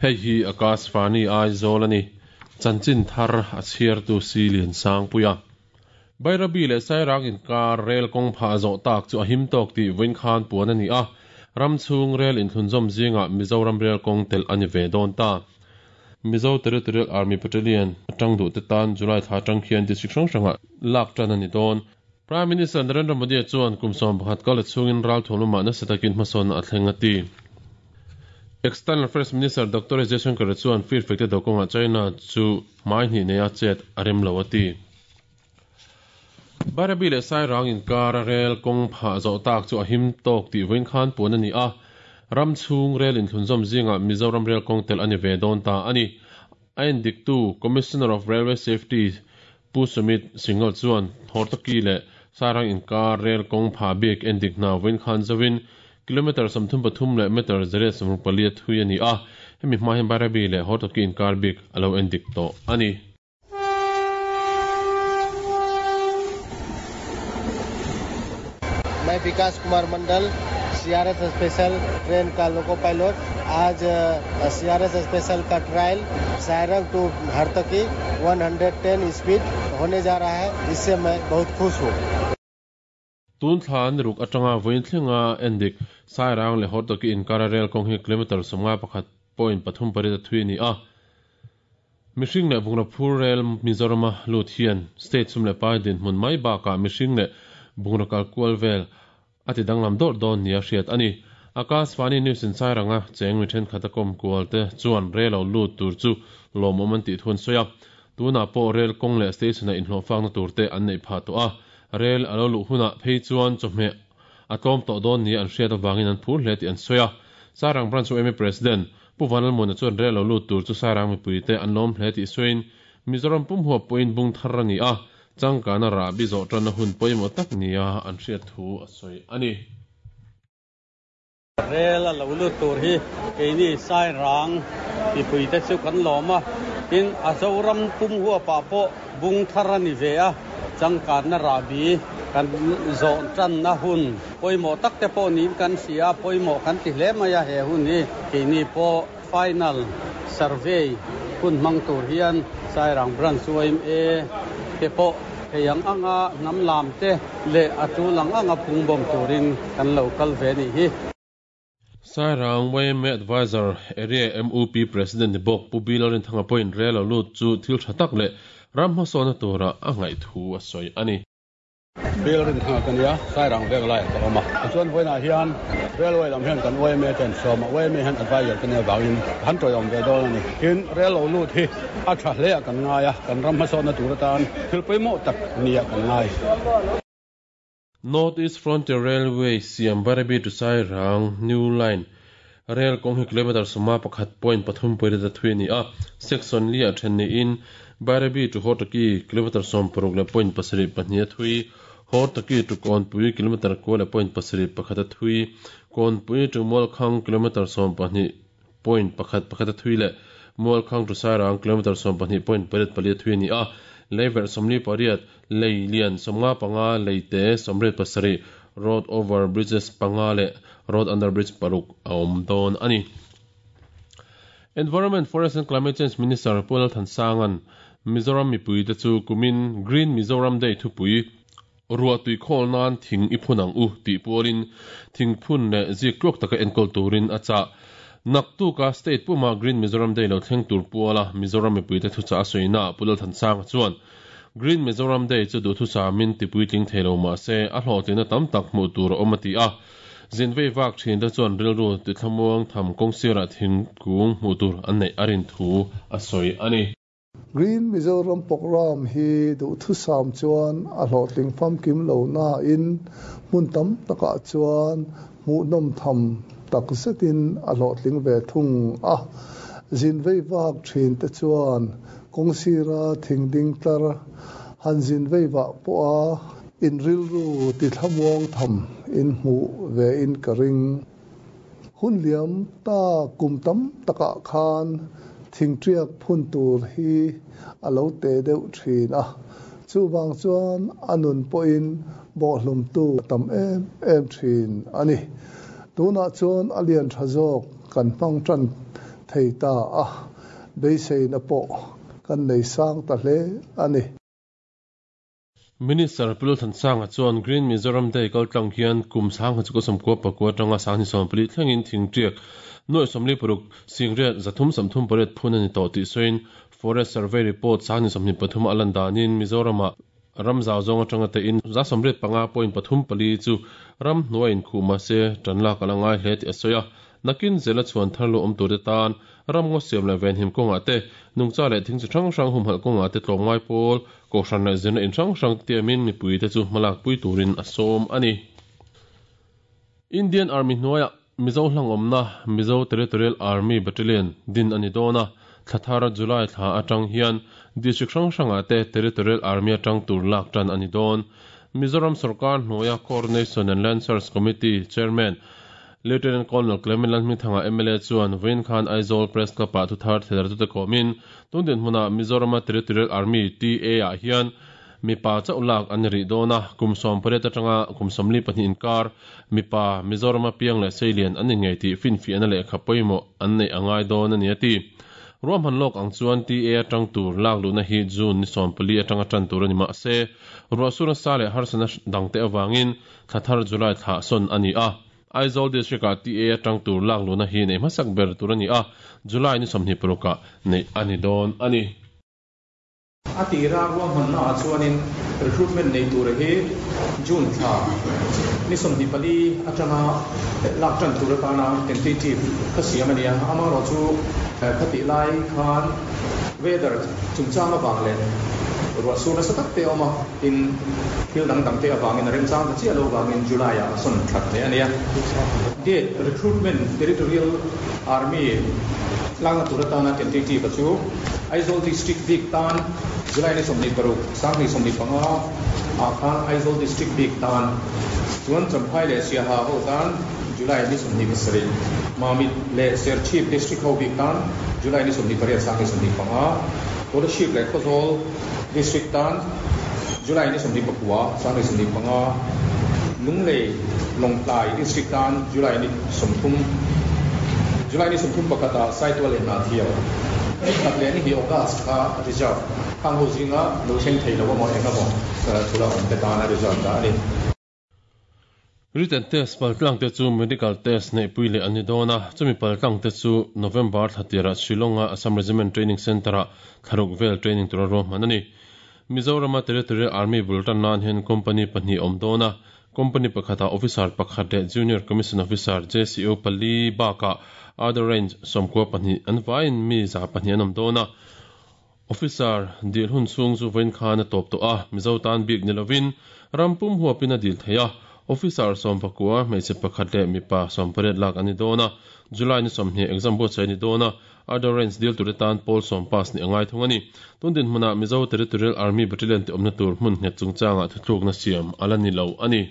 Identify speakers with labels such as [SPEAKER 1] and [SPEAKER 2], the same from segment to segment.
[SPEAKER 1] Hei hi Akashvani Aizawl a ni. Chanchin thar a chhiartu si Liansangpuia. Bairabi leh Sairang inkar rel kawng phah zawh tak chu a him tawk tih vawiin khan puan a ni a, ram chhung rel inthlunzawm zingah Mizoram rel kawng telh a ni ve dawn ta. Mizo Territorial Army Battalion atang duhte tan July thla atang khian district hrang hrangah lak tan a ni dawn. Prime Minister Narendra Modi chuan kum 11 kal chhungin ralthuam lamah nasa takin hmasawnna a thleng a ti. External Affairs Minister Doctor S Jaishankar chuan firfek te dawkawngah China chu hmai hnih neia chet a rem lo a ti. Bairabi leh Sairang inkar a rel kawng phah zawh tak chu a him tawk tih vawiin khan puan a ni a, ram chhung rel inthlunzawm zingah Mizoram rel kawng telh a ni ve dawn ta a ni. A endiktu Commissioner of Railway Safety Pu Sumit Singhal chuan Hortoki leh Sairang inkar rel kawng phah bik endik hna vawiin khan zovin kilometre 33 leh metre 164 a thui a ni a, hemi hma hian Bairabi leh Hortoki inkar bik a lo endik tawh a ni.
[SPEAKER 2] मैं विकास कुमार Mandal CRS special train का loco pilot आज CRS special का trial Sairang to Hartaki 110 speed होने जा रहा है इससे मैं बहुत खुश हूँ
[SPEAKER 1] Tun thla ni ruk atanga vawiin thlenga endik Sairang leh Hortoki inkara rel kawng hi kilometre 51.38 a thui a ni a. Mihring leh bungraw phur rel Mizorama lut hian state sum leh pai dinhmun mai bakah mihring leh bungraw kal kual vel a ti danglam dawrh dawn nia hriat a ni. Akashvani News in Sairanga cheng mi thenkhat a kawm kual te chuan rel lo lut tur chu lawmawm an tih thu an sawi a. Tunah pawh rel kawng leh station-a inhlawhfakna tur te an neih phah tawh a. Rel a lo luh hunah phei chuan chawhmeh a tlawm tawh dawn nia an hriat avangin an phur hle tih an sawi a. Sairang Branch YMA President Pu Vanlalmuana chuan rel lo lut tur chu Sairang mipuite an lawm hle tih sawiin Mizoram pum huap pawhin bung thar a ni a, changkana rahbi zawh tanna hun pawimawh tak nia an hriat thu a sawi a ni.
[SPEAKER 3] Rel a lo lut tur hi keini Sairang mipuite chu kan lawm a, tin a Zoram pum huapah pawh bung thar a ni ve a, changkanna rahbi kan zawh tanna hun pawimawh tak te pawh niin kan hria a, pawimawh kan ti hle mai a he hun hi keini pawh final survey hun hmang tur hian Sairang Branch YMA te pawh thei ang anga hnam lam te leh a tul ang anga phungbawm turin kan lo kal ve a nih hi.
[SPEAKER 1] Sairang YMA Advisor Area MUP President ni bawk Pu Bill Rinthanga pawhin rel lo lut chu thil tha tak leh ram hmasawnna tura a ngaih thu a sawi a ni.
[SPEAKER 4] Bill Rinthanga ka nia, Sairang vek laiah ka awm a. Tichuan vawiinah hian Railway lam hian kan YMA ten sawm a, YMA hian advisor ka nia vangin han tawiawm ve dawn a ni. Tin, rail lo lut hi a tha hleah kan ngai a, kan ram hmasawnna tur atan thil pawimawh tak nia kan ngai.
[SPEAKER 1] North East Frontier Railway siam Bairabi to Sairang New Line rel kawng hi kilometre 51.3 pawileta thui a ni a, section li ah then niin Bairabi to Hortoki kilometre 16.72 a thui, Hortoki to Kawnpui kilometre 9.71 a thui, Kawnpui to Mualkhang kilometre 12.11 a thui leh Mualkhang to Sairang kilometre 12.84 a thui a ni a, leiverh 48, lei lian 55, lei te 87, road over bridges 5 leh road under bridge 6 a awm dawn a ni. Environment, Forest and Climate Change Minister Pu Lalthansanga'n Mizoram mipuite chu kumin Green Mizoram Day thupui ruah tui khawl nan thing i phun ang u tih pualin thing phun leh zik tluak taka enkawl turin a chah. Naktuka state puma Green Mizoram Day lo thleng tur puala Mizoram mipuite thuchah a sawina Pu Lalthansanga chuan Green Mizoram Day chu duhthusamin tipuitling thei lo mah se a hlawhtlinna tam tak hmuh tur a awm a ti a. Zinvei vak thin te chuan rilru tithlamuang tham kawng sirah thingkung hmuh tur an neih a rin thu a sawi a ni.
[SPEAKER 5] Green Mizoram Programme hi duhthusam chuan a hlawhtling famkim lo nain hmun tam takah chuan hmuhnawm tham tak zetin a hlawhtling ve thung a. Zinvei vak thin te chuan kawng sira thing ding tlar han zinvei vah pawha in rilru tithlamuang tham in hmuh ve in ka ring. Hun liam ta kum tam takah khan thingtiak phun tur hi a lo te deuh thin a, chuvang chuan a nun pawhin bawhhlumtu a tam em em thin a ni. Tunah chuan a lian tha zawk kan hmang tan. thei ta a, beiseina pawh kan nei sang ta hle a ni.
[SPEAKER 1] Minister Pu Lalthansanga chuan Green Mizoram Day kaltlang hian kum 1999 atanga 2014 thlengin thingtiak nuaih 46 singriat 338 phun a ni tawh tih sawiin Forest Survey Report 2023 a lan danin Mizoramah ram zau zawng atanga tein 85.34 chu ram hnuai inkhuh mahse tan lak a la ngai hle tih a sawi a. Nakin zela chhuan thar lu awm turte tan ram ngaw siam leh venhim kawngah te, nungcha leh thing chi hrang hrang humhalh kawngah te tlawmngai pawl, kohhran leh zirna in hrang hrang tiamin mipuite chu hmalak pui turin a sawm a ni. Indian Army hnuaiah Mizo hlangawmna Mizo Territorial Army Battalion din a ni dawn a, thla thar July thla atang hian District hrang hrangah te Territorial Army atang tur lak tan a ni dawn. Mizoram sorkar hnuaia Coordination and Land Search Committee Chairman Lieutenant Colonel Clement Lalhmingthanga mla chuan vawiin khan Aizawl Press Club-ah thuthar theidartute kawmin tun dinhmunah Mizorama Territorial Army, TA, ah hian mipa chauh lak an ni rih dawn a, kum 18 atanga kum 42 inkar mipa Mizorama piang leh seilian an ni ngei tih finfiahna lehkha pawimawh an neih a ngai dawn a ni a ti. Ruahman lawk ang chuan TA atang tur lak luhna hi June ni 14 atanga tan tur a ni mahse, ruahsur nasa leh harsatna dangte avangin thla thar July thla sawn a ni a. Aizawl District-ah TA atang tur lak luhna hi neih hmasak ber tur a ni a, July ni 26 ah neih a ni dawn a ni.
[SPEAKER 6] A tira ruahmanna ah chuanin recruitment nei tura hi June thla ni 24 atanga lak tan tur atana tentative kha siam a ni a, amaherawhchu khatih lai khan weather chungchang avang leh ruahsur nasa tak te a awm a, tin thil dang dang te avangin a remchang ta chiah lo avangin July ah a sawn that leh a ni a. Date recruitment territorial army lakna tur atana tentative a chu Aizawl District bik tan July ni 26, 2025 ah khan Aizawl District bik tan chuan Champhai leh Siaha ho tan July ni 27, Mamit leh Serchhip District ho bik tan July ni 28, 2025, Kolasib leh Khawzawl District tan July ni 29, 2025, Lunglei Lawngtlai District tan July ni 30, July ni 31 ah Saitual leh Hnahthial ni khat leh ni hi August kha reserve khang ho zinga lo thleng thei lo emaw eng emaw thula awm te tana reserve dah a ni.
[SPEAKER 1] Written test paltlang te chu medical test neihpui leh an ni dawn a, chumi paltlang te chu November thla tirah Shillong-a Assam Regiment Training Centre-ah thlaruk vel training tura ruahman a ni. Mizorama Territorial Army bul tan nan hian company pahnih a awm dawn a, company pakhatah officer pakhat leh Junior Commission Officer, JCO, pali bakah other range 92 an vaiin mi 200 an awm dawn a. Officer dil hun chhung chu vawiin khan a tawp tawh a, Mizo tan bik ni lovin ram pum huapin a dil thei a. Officer 19 hmeichhe pakhat leh mipa 18 lak an ni dawn a, July ni 20 exam buatsaih a ni dawn a, Other range dil tur atan pawl sawm pass nih a ngai thung a ni. Tun dinhmunah Mizo Territorial Army Battalion te awmna tur hmun nghet chungchangah thuthlukna siam a la ni lo a ni.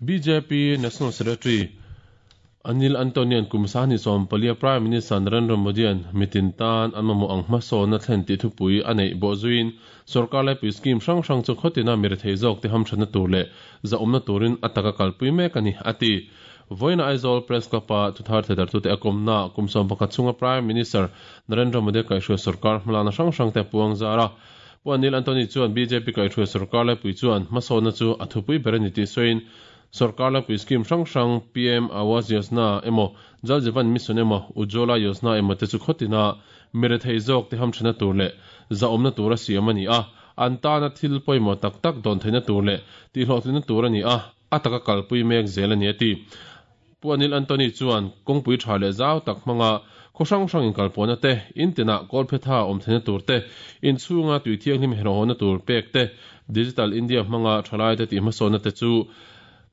[SPEAKER 1] Bjp National Secretary Anil Antonian kum sahnih sawmpalia Prime Minister Narendra Modi-a'n mitin tan an mamawh ang hmasawnna thlen tih thupui a neih bawh zuiin sorkar laipui scheme hrang hrang chu khawtina mi rethei zawkte hamthatna tur leh zahawmna turin a taka kalpui mek a ni, a ti. Vawiina Aizawl Press Club-a thuthar thedartute a kawmnaah kum 11 chhunga Prime Minister Narendra Modi-a kaihhruai sorkar hmalakna hrang hrangte a puang zar a. Pu Anil Antony chuan bjp kaihhruai sorkar laipui chuan hmasawnna chu a thupui ber a ni tih sawiin sorkar laipui scheme hrang hrang PM Awas Yojana emaw Jal Jeevan Mission emaw Ujjwala Yojana emaw te chu khawtina mi rethei zawk te hamthana tur leh zahawmna tur a siam a ni a, an tana thil pawimawh tak tak dawn theihna tur leh tihhlawhtlinna tur a ni a, a taka kalpui mek zel a ni a ti. Pu Anil Antony chuan kawngpui tha leh zau tak hmanga khaw hrang hrang inkalpawhna te, in tinah kawlphetha awm theihna tur te, inchhunga tui thianghlim herhawhna tur pek te, Digital India hmanga thalaite tihhmasawnna te chu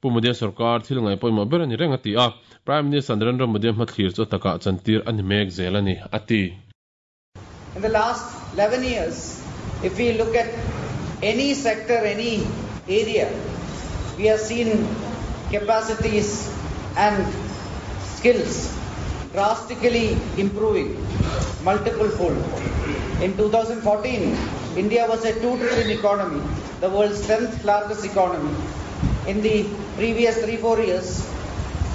[SPEAKER 1] Pu Modi-a sorkar thil ngaih pawimawh ber a ni reng a ti a, Prime Minister Narendra Modi-a hmathlir chu a takah chantir a ni mek zel a ni, a ti.
[SPEAKER 7] In the last 11 years, if we look at any sector, any area, we have seen capacities and skills drastically improving multiple fold. In 2014, India was a 2 trillion economy, the world's 10th largest economy. In the previous 3-4 years,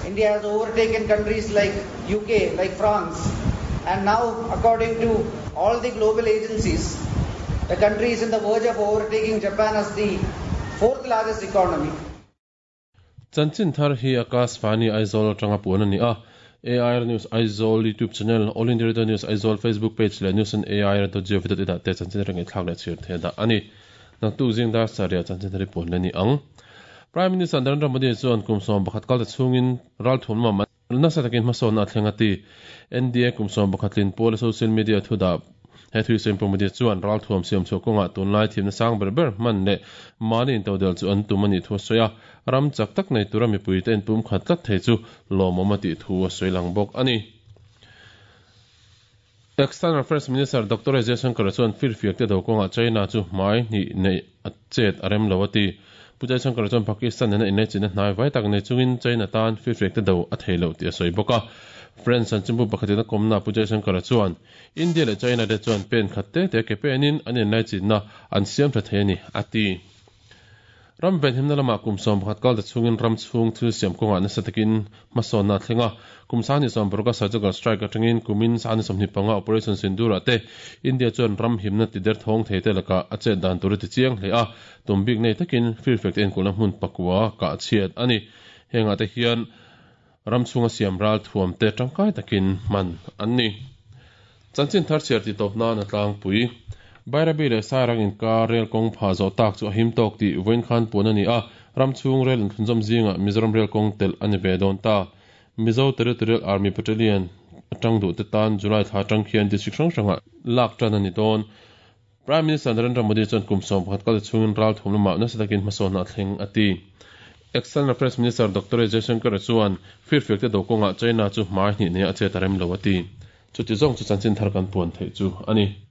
[SPEAKER 7] India has overtaken countries like UK, like France. And now, according to all the global agencies, the country is in the verge of overtaking Japan as the fourth largest economy.
[SPEAKER 1] Chanchin thar hi Akashvani Aizawl atanga puan a ni a. AIR News Aizawl YouTube channel, All India Radio News Aizawl Facebook page leh news on air.gov.in ah te chanchin thar ngaihthlak leh chhir theih dah a ni. Naktuk zing dar sarih ah chanchin thar hi puan la ni ang. Prime Minister Narendra Modi chuan kum 11 kalta chhungin ralthuam lamah nasa takin hmasawnna a thleng a ti. NDA kum 11 tlin pawla social media thu dah he thui sawi Pu Modi chuan ralthuam siam chhuah kawngah tunlai thimna sang ber ber hman leh mahni intodel chu an tum a nih thu a sawi a, ram chak tak nei tura mipuite inpumkhat tlat thei chu lawmawm a tih thu a sawi lang bawk a ni. External Affairs Minister Doctor S Jaishankar chuan firfiak te do kawngah China chu hmai hnih neih a chet a rem lo a ti. Pu Jaishankar chuan Pakistan nena inlaichinna hnai vai tak nei chungin China tan firfiak te do a thei lo tih a sawi bawk a. French chanchinbu pakhatin a kawmna Pu Jaishankar chuan India leh China te chuan pen khat te te ke penin an inlaichinna an siam tha thei a ni, a ti. Ram venhimna lamah kum 11 kal ta chhungin ram chhung thil siam kawngah nasa takin hmasawnna a thleng a. Kum 20 paruk a surgical strike atangin kumin 25 Operation Sindoor ah te India chuan ram himna ti derthawng thei te lakah a chet dan tur a ti chiang hle a, tum bik nei takin firfek te enkulhna hmun pakua kah chhiat a ni. Hengah te hian ram chhunga siam ral thuam te tangkai takin hman an ni. Chanchin thar chhiar tih tawp nan a tlangpui. Bairabi leh Sairang inkar rel kawng phah zawh tak chu a him tawk tih vawiin khan puan a ni a, ram chhung rel inthlunzawm zingah Mizoram rel kawng telh a ni ve dawn ta. Mizo Territorial Army Battalion atang duh te tan July thla atang khian district hrang hrangah lak tan a ni dawn. Prime Minister Narendra Modi chuan kum 11 kal chhungin ral thum lamah nasa takin hmasawnna a thleng a ti. External Affairs Minister Doctor S Jaishankar chuan firfiak te do kawngah China chu hmai hnih neia a chet a rem lo a ti. Chuti zawng chu chanchin thar kan puan theih chu a ni.